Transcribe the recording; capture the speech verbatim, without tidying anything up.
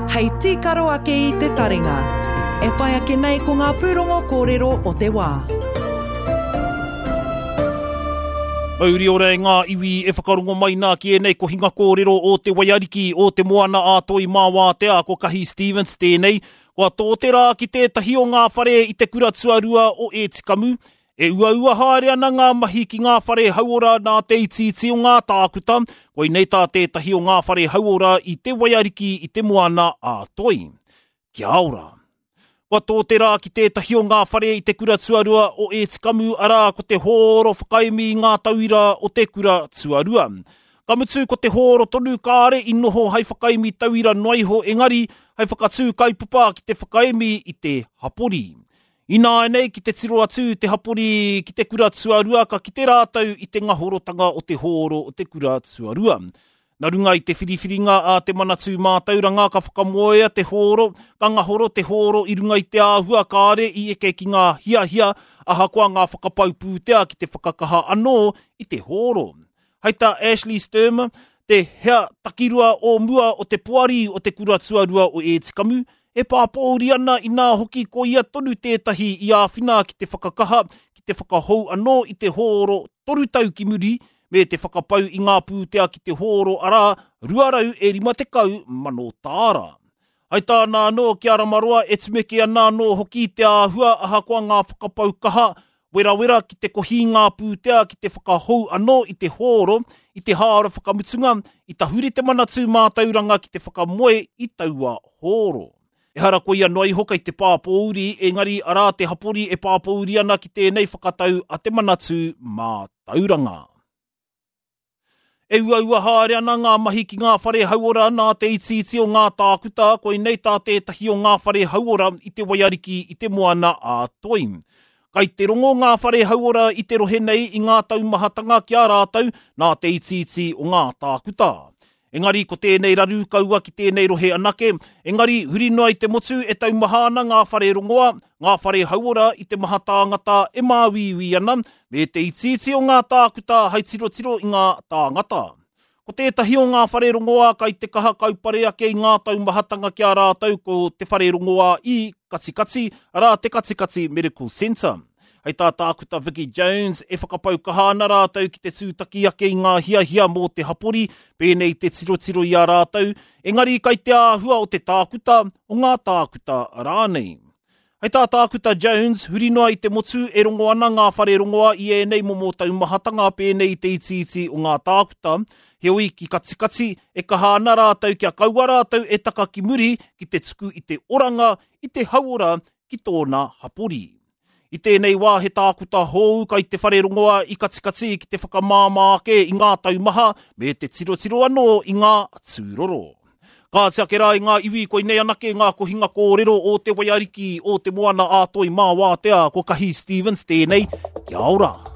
Hei tīkaro ake i te taringa. E whai ake nei ko ngā pūrongo kōrero o te wā. Mauri ora e ngā iwi e whakarongo mai nā ki ēnei kohinga kōrero o te Waiariki o te Moana a Toi Māwātea ko Kahi Stevens tēnei. Kua tō te rā ki tētahi o ngā whare i te kura tuarua o Ētikamu. E uaua haere ana ngā mahi ki ngā whare hauora nā te itiiti o ngā tākuta, koinei tā tētahi o ngā whare hauora i te Waiariki i te Moana a Toi. Kia ora! Kua tō te rā ki tētahi o ngā whare i te kura tuarua o Ētikamu, arā ko te hōro whakaemi i ngā tauira o te kura tuarua. Ka mutu ko te hōro tonu kāre i noho hai whakaemi tauira noa iho engari hai whakatū kaupapa ki te whakaemi i te hapori. Ināianei ki te tiro atu te hapori ki te kura tuarua ka kite rātou i te ngahorotanga o te hōro o te kura tuarua. Nā runga i te whiriwhiringa a te Manatū Mātauranga ka whakamoea te hōro, ka ngahoro te hōro i runga i te āhua kāre i eke ki ngā hiahia, ahakoa ngā whakapau pūtea ki te whakakaha anō i te hōro. Hei tā Ashley Sturm, te hea takirua o mua o te poari o te kura tuarua o Ētikamu, e pāpōuri ana inā hoki ko ia tonu tētahi i āwhina ki te whakakaha, ki te whakahou anō i te hōro toru tau ki muri, me te whakapau i ngā pūtea ki te hōro arā rua rau e rima tekau mano tāra. Hei tāna anō ki a Ramaroa e tumeke ana anō hoki te āhua ahakoa ngā whakapau kaha, werawera ki te kohi ngā pūtea ki te whakahou anō i te hōro, i te hāora whakamutunga, i tahuri te Manatū Mātauranga ki te whakamoe i taua hōro. Ehara ko ia noa iho kei te pāpōuri, engari arā te hapori e pāpōuri ana ki tēnei whakatau a te Manatū Mātauranga. E uaua haere ana ngā mahi ki ngā whare hauora nā te itiiti o ngā tākuta, koinei tā tētahi o ngā whare hauora i te Waiariki i te Moana a Toi. Kai te rongo ngā whare hauora i te rohe nei i ngā taumahatanga ki a rātou nā te itiiti o ngā tākuta. Engari ko tēnei raru kaua ki tēnei rohe anake, engari huri noa i te motu e taumaha ana ngā whare rongoa, ngā whare hauora i te maha tāngata e māuiui ana, me te itiiti o ngā tākuta hai tirotiro i ngā tāngata. Ko tētahi o ngā whare rongoa kai te kaha kaupare ake i ngā taumahatanga ki a rātou ko te whare rongoa i Katikati, arā te Katikati Medical Centre. Hei tā tākuta Vicky Jones e whakapau kaha ana rātou ki te tūtaki ake i ngā hiahia mō te hapori, pēnei te tirotiro i a rātou, engari kai te āhua o te tākuta, o ngā tākuta rānei. Hei tā tākuta Jones, huri noa i te motu e rongo ana ngā whare rongoa i ēnei momo taumahatanga pēnei i te itiiti o ngā tākuta, heoi ki Katikati e kaha ana rātou kia kaua rātou e taka ki muri ki te tuku i te oranga, i te hauora ki tōna hapori. I tēnei wā he tākuta hou kai te whare rongoa i Katikati ki te whakamāmā ake i ngā taumaha me te tirotiro anō i ngā tūroro. Kāti ake rā i ngā iwi koinei anake ngā kohinga kōrero o te Waiariki o te Moana a Toi Māwātea ko Kahi Stevens tēnei. Kia ora!